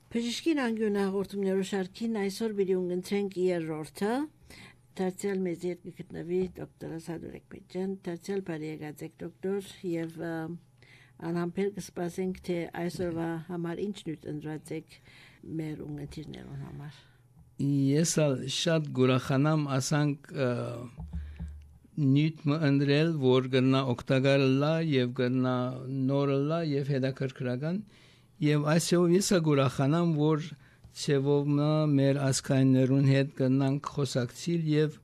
Բժշկին անգյուն հաղորդումներու շարքին այսօր բիդի ունգընտրենք երրորդը դարձյալ մեզ երկի գտնվի դոկտոր Սադուրեկ Մեջան, դարձյալ բարի եկած եք դոկտոր եւ անհամբեր կսպասենք թե այսօրվա համար ինչ նյութ ընտրած եք մեր ունգընտիրներուն համար Ես շատ գուրախանամ ասանք նյութ մընդրել որ գնա օգտակար լա եւ գնա նոր լա եւ հետաքրքրական եւ այսօր ես գուրախանամ որ ցեվով մեր ասկայներուն հետ գնանք խոսակցիլ եւ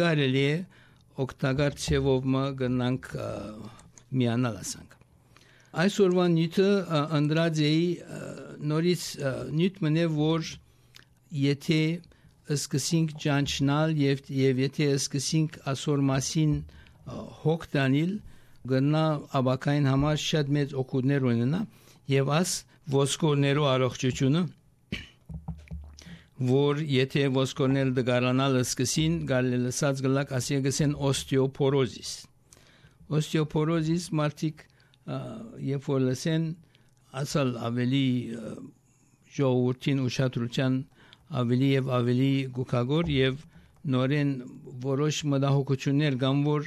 գարելի է օգտակար ցեվով գնանք միանալ ասանք այսօրվա նյութը ընտրած էի նորից նյութ մնե որ Եթե սկսենք ճանչնալ եւ եթե սկսենք ասոր մասին հոգ տանել գնա աբակային համար շատ մեծ օգուտներ ունենա եւ աս ոսկորներու առողջությունը որ եթե ոսկորներ դգարանալ սկսին գալելսած գլակ ասիգսեն օստեոպորոզիս մարտիկ երբ որ լսեն ասալ ավելի ժողովրդին ուշադրության ավելի եւ ավելի գուկագոր եւ նորեն որոշ մտահոգություններ կան որ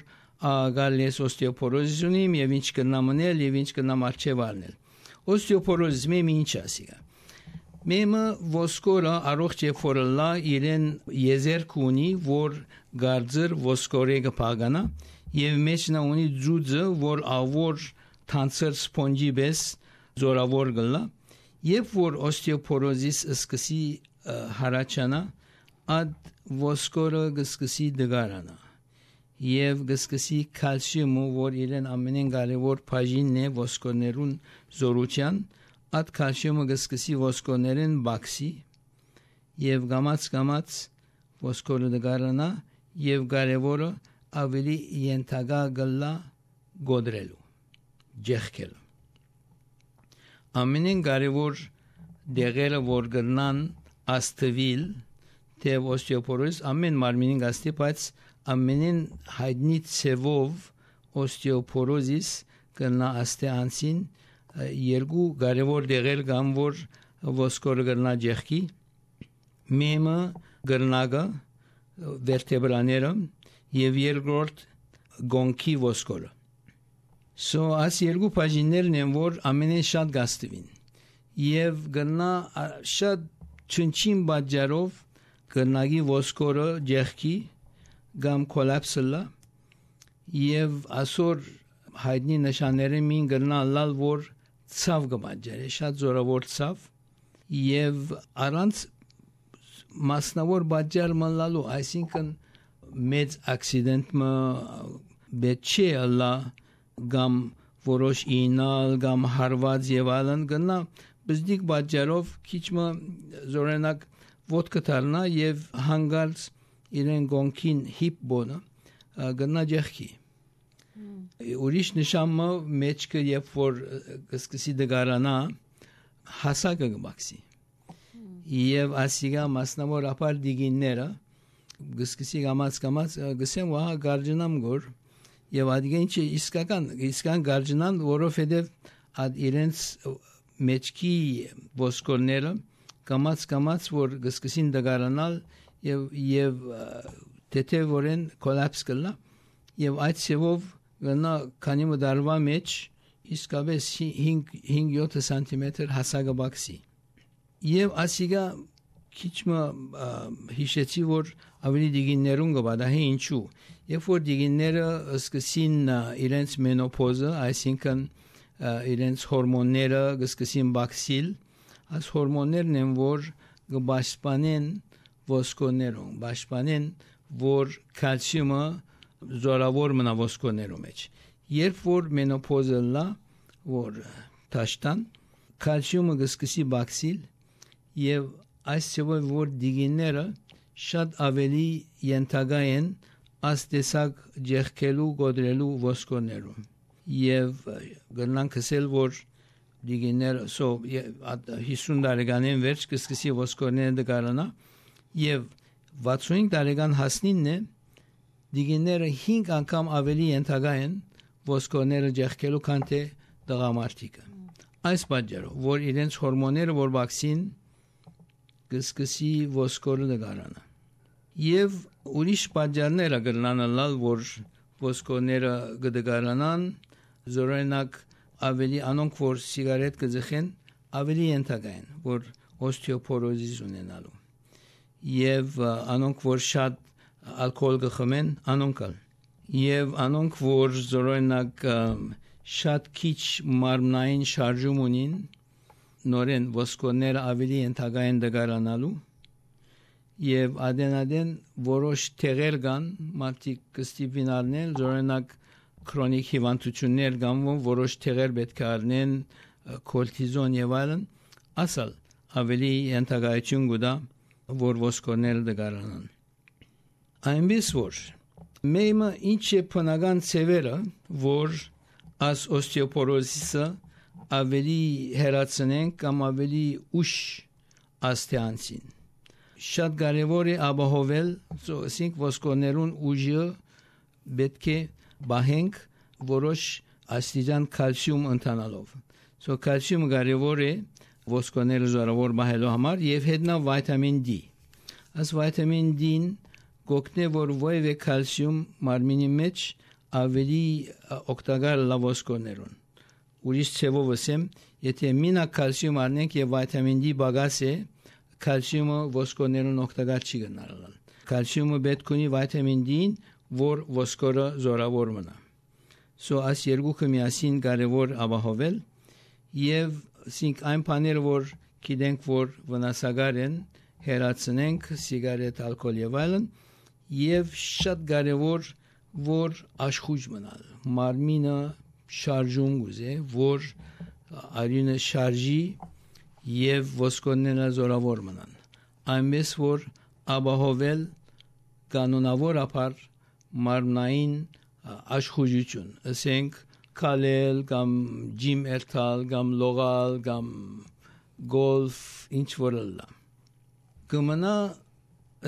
գալիս օստեոպորոզիս ունիմ եւ ինչ կնամնել եւ ինչ կնամ արժեվալնել օստեոպորոզը ինչ ասիգա մեմը ոսկորը առողջ եւ ֆորլա իրեն եզերք ունի որ գարձր ոսկորը կփագանա եւ մեջնա ունի ձուձը որ ավոր թանցր սպոնջի բես զորավոր գլա եւ որ օստեոպորոզիս սկսի հարաճանա ad ոսկորը գսկսի դգարանա եւ գսկսի կալցիումը որ իրեն ամենեն կարևոր բաժինն է ոսկորներուն զորության ad կալցիումը գսկսի ոսկորներեն բաքսի եւ գամած ոսկորը դգարանա եւ կարևորը ավելի ենթագա գլա գոդրելու ջեխկել ամենեն կարևոր դեղերը որ գնան Աստվիլ թե օստեոպորոզիս ամեն մարմինին գաստի բայց ամենին հայտնի ցևով օստեոպորոզիս կնա աստեանցին երկու կարևոր դեղեր կան որ ոսկորը կնա ջեխկի մեմը գրնագը վերտեբրաները եւ երկրորդ գոնքի ոսկորը այս երկու բաժիններն են որ ամենին շատ գաստվին եւ կնա շատ Չնչին բաժարով կնագի ոսկորը ջեխկի գամ կոլապսլա եւ ասոր հայտնի նշանները մին գնալալ որ ցավ կբաժարի շատ զորավոր ցավ եւ առանց մասնավոր բաժար մնալու այսինքն մեծ ակսիդենտ բեչե ալա գամ որոշ ինալ գամ հարված եւ այլն գնա Բզդիկ բաժարով քիչմը զորենակ ոդկա դառնա եւ հանգարց իրեն գոնքին հիպ բոնը գնա ջեխկի ուրիշ նշանը մեջքը երբ որ սկսի դգարանա հասակը գմաքսի եւ ասիգա մասնավոր ապար դիգինները սկսի գամած գսեմ վահ գարջնամ գոր եւ ադիգեն չի իսկական գարջնան որովհետեւ ad իրենց մեջքի ոսկորները կամած որ գսկսին դգարանալ եւ թեթևորեն կոլապս կլա եւ այդ ցեվով գնա քանի մդարվա մեջ իսկապես 5-7 սանտիմետր հասակը բաքսի եւ ասիգա քիչմը հիշեցի որ ավելի դիգիններուն գբադահի ինչու երբ որ դիգինները սկսին իրենց մենոպոզը այսինքն իրենց հորմոնները գսկսին բաքսիլ այս հորմոններն են որ գբաշպանեն ոսկորներուն բաշպանեն որ կալցիումը զորավոր մնա ոսկորներու մեջ երբ որ մենոպոզը լա որ տաշտան կալցիումը գսկսի բաքսիլ եւ այս ցեվով որ դիգինները շատ ավելի ենթագա են աստեսակ ջեխկելու գոդրելու ոսկորներուն եւ գնանք ասել որ դիգիներ 50 տարեկանին վերջ կսկսի ոսկորները դգարանա եւ 65 տարեկան հասնինն է դիգիները 5 անգամ ավելի ենթագա են ոսկորները ջեխկելու քան թե տղամարդիկը այս պատճառով որ իրենց հորմոնները որ վակցին կսկսի ոսկորը դգարանա եւ ուրիշ պատճառներ կգրանալ որ ոսկորները կդգարանան զորենակ ավելի անոնք որ սիգարետ կձխեն ավելի ենթակային որ օստեոպորոզիս ունենալու եւ անոնք որ շատ ալկոհոլ կխմեն անոնքալ եւ անոնք որ զորենակ շատ քիչ մարմնային շարժում ունին նորեն ոսկորները ավելի ենթակային դգարանալու եւ adենադեն որոշ թեղեր կան մարդիկ կստիպին առնել զորենակ քրոնիկ հիվանդություններ կան որոշ թեղեր պետք է առնեն կորտիզոն եւ այլն ասալ ավելի ենթակայություն կուտա որ ոսկորները դգարանան այնպես որ մեմը ինչ է բնական ծևերը որ as օստեոպորոզիսը ավելի հերացնենք կամ ավելի ուշ աստեանցին շատ կարևոր է ապահովել ասենք ոսկորներուն ուժը պետք է բահենք որոշ աստիճան կալցիում ընթանալով կալցիումը կարևոր է ոսկորները զորավոր բահելու համար եւ հետնա վիտամին D as վիտամին D-ն գոկնե որ ոյվե կալցիում մարմինի մեջ ավելի օգտակար լավ ոսկորներուն ուրիշ ցևով ասեմ եթե մինա կալցիում առնենք եւ վիտամին D բագաս է կալցիումը ոսկորներուն օգտակար չի գնալ կալցիումը պետք ունի վիտամին D-ին որ ոսկորը զորավոր մնա as երկուքը միասին կարևոր ապահովել եւ ասենք այն բաները որ գիտենք որ վնասակար են հերացնենք սիգարետ ալկոհոլ եւ այլն եւ շատ կարևոր որ աշխույժ մնալ մարմինը շարժում գուզե որ արյունը շարժի եւ ոսկորները զորավոր մնան այնպես որ ապահովել կանոնավոր ապար մարմնային աշխույժություն ասենք քալել կամ ջիմ երթալ կամ լողալ կամ գոլֆ ինչ որ լա կմնա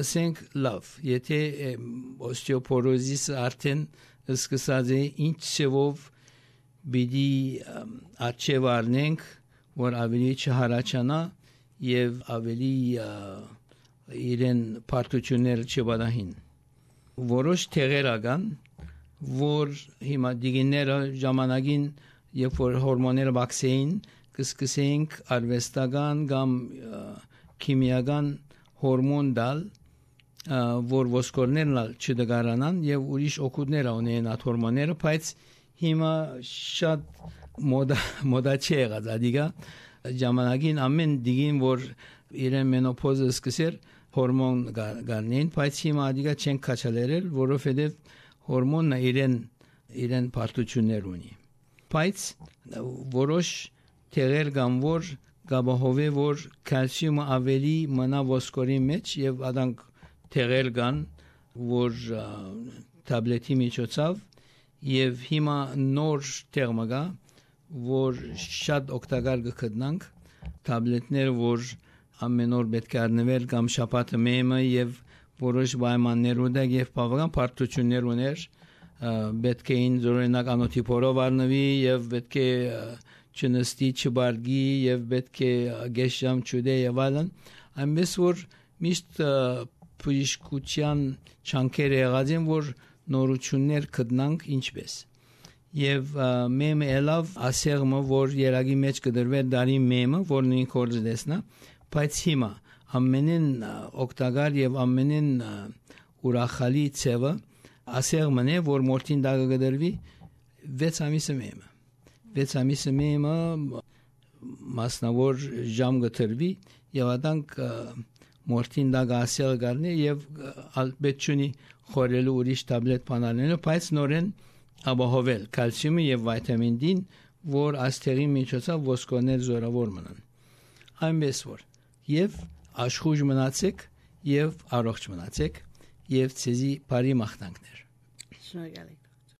ասենք լավ եթե օստեոպորոզիսը արդեն սկսած է ինչ ծևով բիդի աչև առնենք որ ավելի չհարաչանա եւ ավելի իրեն պարտությունները չբադահին որոշ թեղեր ական որ հիմա դիգիները ժամանակին երբ որ հորմոնները բացեին կսկսեինք արվեստական կամ քիմիական հորմոն դալ որ ոսկորներն չդգարանան եւ ուրիշ օգուտներ ունեն այդ հորմոնները բայց հիմա շատ մոդա չի եղած ադիգա ժամանակին ամեն դիգին որ իրեն մենոպոզը սկսեր հորմոն գարնեն բայց հիմա ադիգա չեն կաչալերել որովհետեւ հորմոնը իրեն պարտություններ ունի բայց որոշ թեղեր կան որ գաբահովե որ կալցիումը ավելի մնա ոսկորի մեջ եւ adank թեղեր կան որ տաբլետի միջոցով եւ հիմա նոր թերմա կա որ շատ օգտակար կգտնանք տաբլետներ որ ամեն օր պետք է առնվել կամ շաբաթը մեմը եւ որոշ պայմաններ ունեն եւ բավական պարտություններ ուներ պետք է ին զորենակ անոթիպորով առնվի եւ պետք է չնստի չբարգի եւ պետք է գեշամ չուդե եւ այլն այնպես որ միշտ բժշկության չանկեր եղած են որ նորություններ գտնանք ինչպես եւ մեմը ելավ ասեղը որ երագի մեջ կդրվեր դարի մեմը որ նույն կորձ դեսնա բայց հիմա ամենին օգտակար եւ ամենին ուրախալի ցևը ասեղն է որ մորտին դագը կդրվի 6 ամիսը մեմը 6 ամիսը մեմը մասնավոր ժամ կտրվի եւ adank մորտին դագը ասեղը գարնի եւ ալբեչունի խորելու ուրիշ տաբլետ բանալենը բայց նորեն ապահովել կալցիումը եւ վիտամին D-ն որ աստեղի միջոցով ոսկորներ զորավոր մնան այնպես որ եւ աշխույժ մնացեք եւ առողջ մնացեք եւ ցեզի բարի մաղթանքներ շնորհակալ